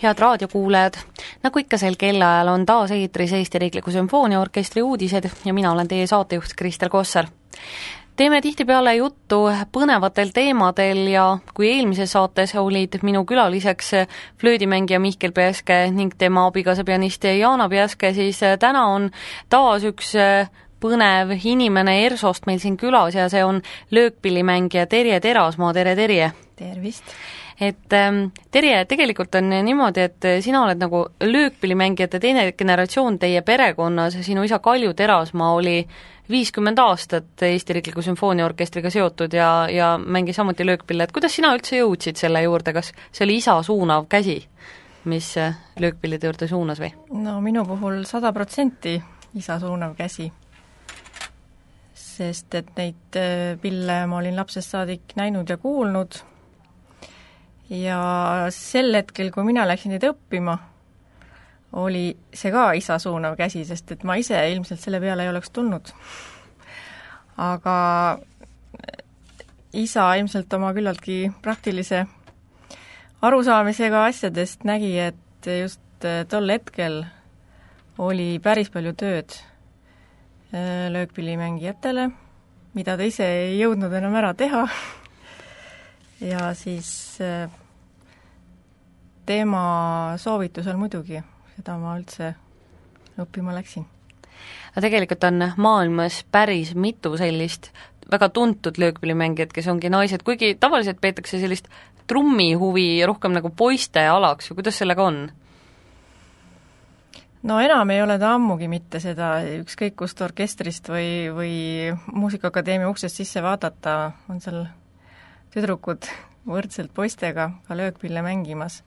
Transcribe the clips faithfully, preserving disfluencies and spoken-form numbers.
Head raadiokuulajad, nagu ikka sel kellaajal on taas eetris Eesti Riikliku Sümfooniaorkestri uudised ja mina olen teie saatejuht Kristel Kossar. Teeme tihtipeale juttu põnevatel teemadel ja kui eelmises saates olid minu külaliseks flöödimängija Mihkel Peaske ning tema abikaasa pianist Jaana Peaske, siis täna on taas üks põnev inimene ERSOst meil siin külas ja see on löökpillimängija Terje Terasmaa. Tere, Terje! Tervist! Et ähm, Terje, tegelikult on niimoodi, et sina oled nagu löökpillimängijate teine generatsioon teie perekonnas, sinu isa Kalju Terasmaa oli viiskümmend aastat Eesti Riikliku Sümfooniaorkestriga seotud ja, ja mängis samuti löökpille, et kuidas sina üldse jõudsid selle juurde, kas see oli isa suunav käsi, mis löökpillide juurde suunas või? No minu puhul sada protsenti isa suunav käsi, sest et neid pille ma olin lapsest saadik näinud ja kuulnud. Ja sel hetkel, kui mina läksin neid õppima, oli see ka isa suunav käsi, sest et ma ise ilmselt selle peale ei oleks tulnud. Aga isa ilmselt oma küllaltki praktilise arusaamisega asjadest nägi, et just tol hetkel oli päris palju tööd löökpillimängijatele, mida ta ise ei jõudnud enam ära teha. Ja siis tema soovitusel muidugi, seda ma üldse õppima läksin. Aga tegelikult on maailmas päris mitu sellist väga tuntud löökpillimängijad, kes ongi naised, kuigi tavaliselt peetakse sellist trummihuvi rohkem nagu poiste alaks, või kuidas sellega on? No enam ei ole ta ammugi mitte seda, ükskõik kust orkestrist või, või Muusikaakadeemia uksest sisse vaadata, on seal tüdrukud võrdselt poistega ka löökpille mängimas.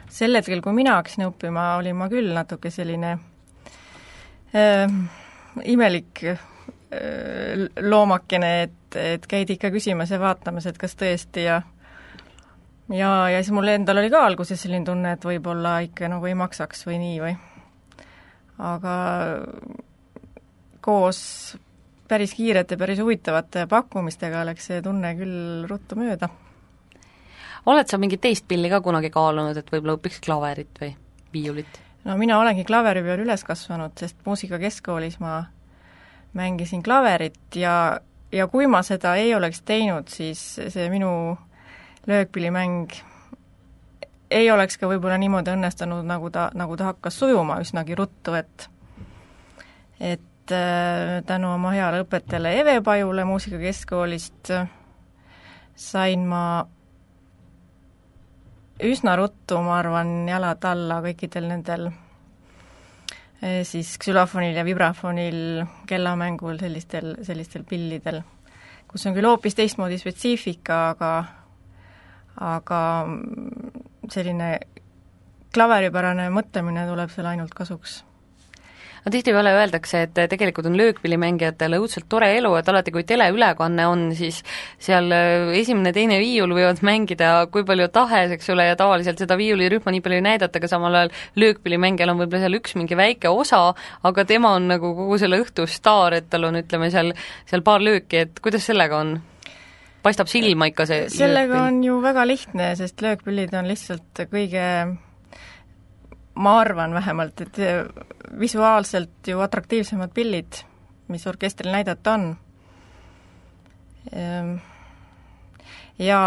Sel hetkel, kui mina hakkasin õppima, olin ma küll natuke selline äh, imelik äh, loomakene, et, et käid ikka küsimas ja vaatamas, et kas tõesti ja ja, ja siis mul endal oli ka alguses selline tunne, et võib-olla ikka nagu ei maksaks või nii või. Aga koos päris kiirete, päris huvitavate pakkumistega läks see tunne küll ruttu mööda. Oled sa mingit teist pilli ka kunagi kaalunud, et võib-olla õpiks klaverit või viiulit? No mina olengi klaveri peal üles kasvanud, sest muusikakeskkoolis ma mängisin klaverit ja, ja kui ma seda ei oleks teinud, siis see minu löökpillimäng ei oleks ka võib-olla niimoodi õnnestunud, nagu ta, nagu ta hakkas sujuma üsnagi ruttu, et et äh, tänu oma heale õpetajale Eve Pajule muusikakeskkoolist sain ma üsna ruttu, ma arvan, jalad alla kõikidel nendel siis ksülofonil ja vibrafonil, kellamängul, sellistel, sellistel pillidel, kus on küll hoopis teistmoodi spetsiifika, aga aga selline klaveripärane mõtlemine tuleb seal ainult kasuks. No tihtipeale öeldakse, et tegelikult on löökpillimängijatele õudselt tore elu, et alati kui teleülekanne on, siis seal esimene, teine viiul võivad mängida kui palju tahes, eks ole, ja tavaliselt seda viiulirühma nii palju ei näidata, aga samal ajal löökpillimängijal on võib-olla seal üks mingi väike osa, aga tema on nagu kogu selle õhtu staar, et tal on, ütleme, seal, seal paar lööki, et kuidas sellega on? Paistab silma ikka see sellega löökpill? On ju väga lihtne, sest löökpillid on lihtsalt kõige, ma arvan vähemalt, et visuaalselt ju atraktiivsemad pillid, mis orkestril näidata on. Ja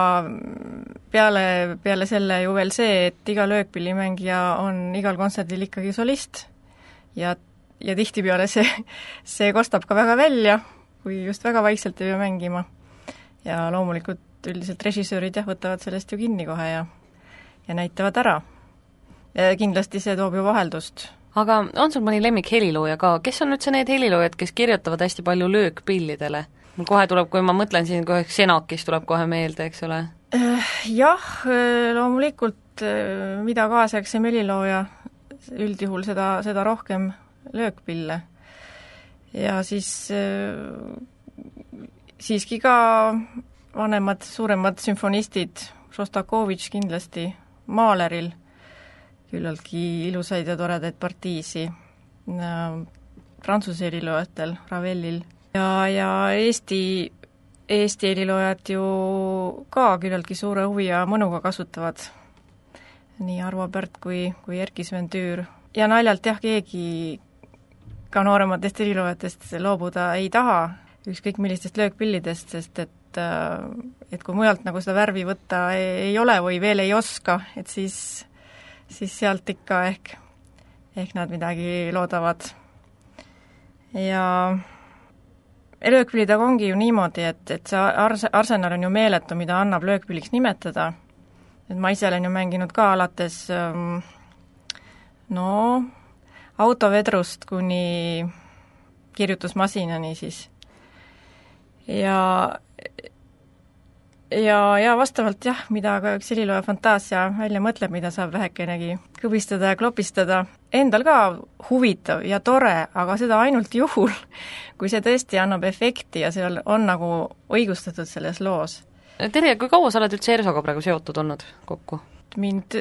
peale, peale selle ju veel see, et iga löökpillimängija on igal kontserdil ikkagi solist ja, ja tihtipeale see, see kostab ka väga välja, kui just väga vaikselt ei pea mängima. Ja loomulikult üldiselt režissöörid jah, võtavad sellest ju kinni kohe ja, ja näitavad ära. Ja kindlasti see toob ju vaheldust. Aga on sul mõni lemmik helilooja ka? Kes on üldse need heliloojad, kes kirjutavad hästi palju löökpillidele? Mul kohe tuleb, kui ma mõtlen siin, kohe Xenakis tuleb kohe meelde, eks ole? Jah, loomulikult mida kaasaegsem helilooja, üldjuhul seda, seda rohkem löökpille. Ja siis siiski ka vanemad, suuremad sümfonistid, Šostakovitš kindlasti, Mahleril, küllaltki ilusaid ja toredaid partiisi, Prantsuse heliloojatel, Ravelil ja, ja Eesti, Eesti heliloojad ju ka küllaltki suure huvi ja mõnuga kasutavad nii Arvo Pärt kui, kui Erki Sven Tüür. Ja naljalt jah, keegi ka noorematest heliloojatest loobuda ei taha, ükskõik millistest löökpillidest, sest et, et kui mujalt nagu seda värvi võtta ei, ei ole või veel ei oska, et siis, siis sealt ikka ehk, ehk nad midagi loodavad. Ja löökpillidega ongi ju niimoodi, et, et see ars-, arsenal on ju meeletu, mida annab löökpilliks nimetada. Et ma ise olen ju mänginud ka alates no autovedrust kuni kirjutusmasinani siis. Ja, ja, ja vastavalt jah, mida ka üks helilooja fantaasia välja mõtleb, mida saab vähekenegi kõbistada ja klopistada. Endal ka huvitav ja tore, aga seda ainult juhul, kui see tõesti annab efekti ja see on nagu õigustatud selles loos. Terje, kui kaua sa oled üldse ERSOga praegu seotud olnud kokku? Mind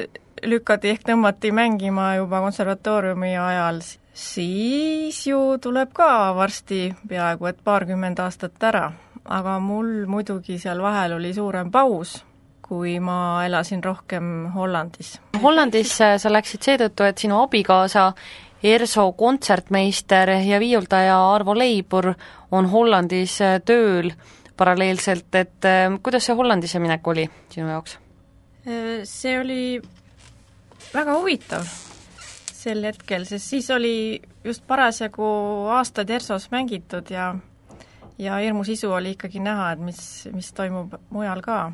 lükati ehk tõmmati mängima juba konservatooriumi ajal, siis ju tuleb ka varsti peaaegu et paarkümmend aastat ära, aga mul muidugi seal vahel oli suurem paus, kui ma elasin rohkem Hollandis. Hollandis sa läksid seetõttu, et sinu abikaasa ERSO kontsertmeister ja viiuldaja Arvo Leibur on Hollandis tööl paralleelselt, et kuidas see Hollandisse minek oli sinu jaoks? See oli väga huvitav sel hetkel, sest siis oli just parasjagu aastad ERSOs mängitud ja ja hirmu sisu oli ikkagi näha, et mis, mis toimub mujal ka.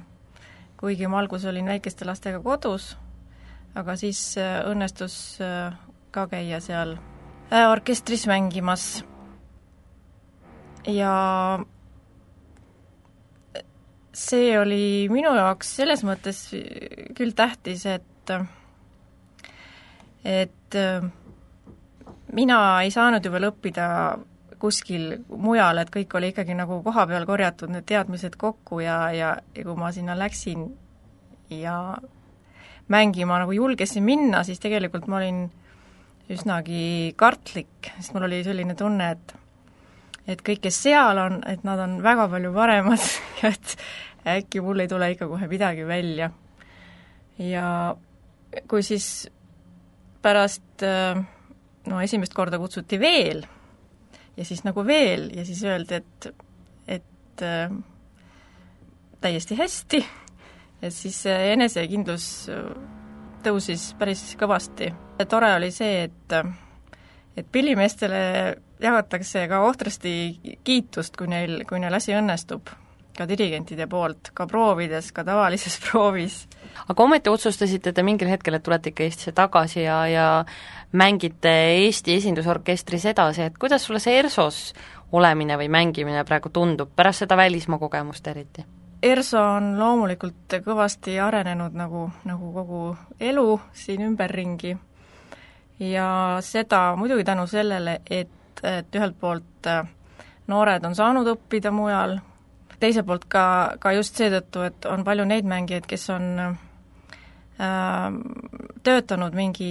Kuigi ma algus olin väikeste lastega kodus, aga siis õnnestus ka käia seal orkestris mängimas. Ja see oli minu jaoks selles mõttes küll tähtis, et et mina ei saanud ju veel õppida kuskil mujal, et kõik oli ikkagi nagu koha peal korjatud need teadmised kokku ja, ja, ja kui ma sinna läksin ja mängima nagu julgesin minna, siis tegelikult ma olin üsnagi kartlik, sest mul oli selline tunne, et et kõik, kes seal on, et nad on väga palju paremad ja et äkki mul ei tule ikka kohe midagi välja. Ja kui siis pärast no esimest korda kutsuti veel ja siis nagu veel ja siis öeldi, et, et äh, täiesti hästi, et siis enesekindlus tõusis päris kõvasti. Tore oli see, et et pillimeestele jagatakse ka ohtrasti kiitust, kui neil, kui neil asi õnnestub, ka dirigentide poolt, ka proovides, ka tavalises proovis. Aga ometi otsustasite te mingil hetkel, et tulete ikka Eestisse tagasi ja, ja mängite Eesti esindusorkestris edasi, et kuidas sulle see ERSOs olemine või mängimine praegu tundub, pärast seda välismaa kogemust eriti? ERSO on loomulikult kõvasti arenenud nagu, nagu kogu elu siin ümberringi ja seda muidugi tänu sellele, et, et ühelt poolt noored on saanud õppida mujal, teiselt poolt ka, ka just seetõttu, et on palju neid mängijaid, kes on äh, töötanud mingi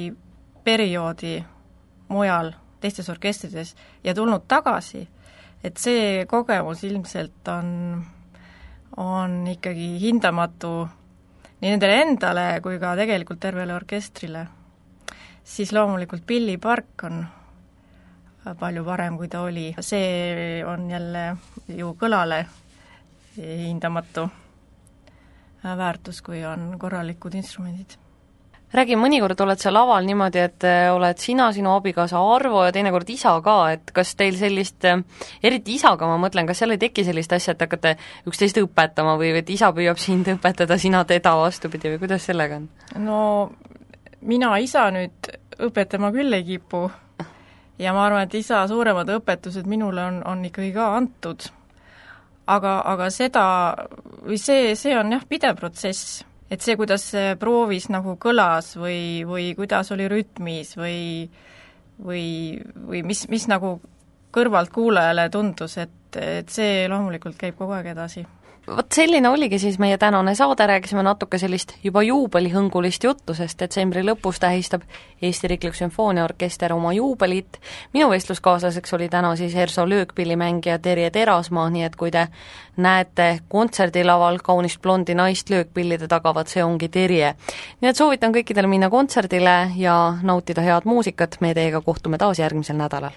perioodi mujal, teistes orkestrides ja tulnud tagasi, et see kogemus ilmselt on on ikkagi hindamatu nii nendele endale kui ka tegelikult tervele orkestrile, siis loomulikult Pilli Park on palju parem, kui ta oli. See on jälle ju kõlale hindamatu väärtus, kui on korralikud instrumendid. Räägi, mõnikord oled sa laval niimoodi, et oled sina, sinu abikaasa Arvo ja teinekord isa ka, et kas teil sellist, eriti isaga ma mõtlen, kas seal ei teki sellist asja, et hakkate üksteist õpetama või et isa püüab sind õpetada, sina teda vastupidi või kuidas sellega on? No mina isa nüüd õpetama küll ei kipu ja ma arvan, et isa suuremad õpetused minule on, on ikkagi ka antud. Aga, aga seda, või see, see on jah pidev protsess. Et see, kuidas see proovis nagu kõlas või, või kuidas oli rütmis või, või, või mis, mis nagu kõrvalt kuulajale tundus, et, et see loomulikult käib kogu aeg edasi. vot selline oligi siis meie tänane saade, rääkisime natuke sellist juba juubelihõngulist juttu, sest detsembri lõpus tähistab Eesti Riiklik Sümfooniaorkester oma juubelit. Minu vestluskaaslaseks oli täna siis ERSO löökpillimängija Terje Terasmaa, nii et kui te näete kontserdilaval kaunist blondi naist löökpillide tagavad, see ongi Terje. Nii et soovitan kõikidele minna kontserdile ja nautida head muusikat, me teiega kohtume taas järgmisel nädalal.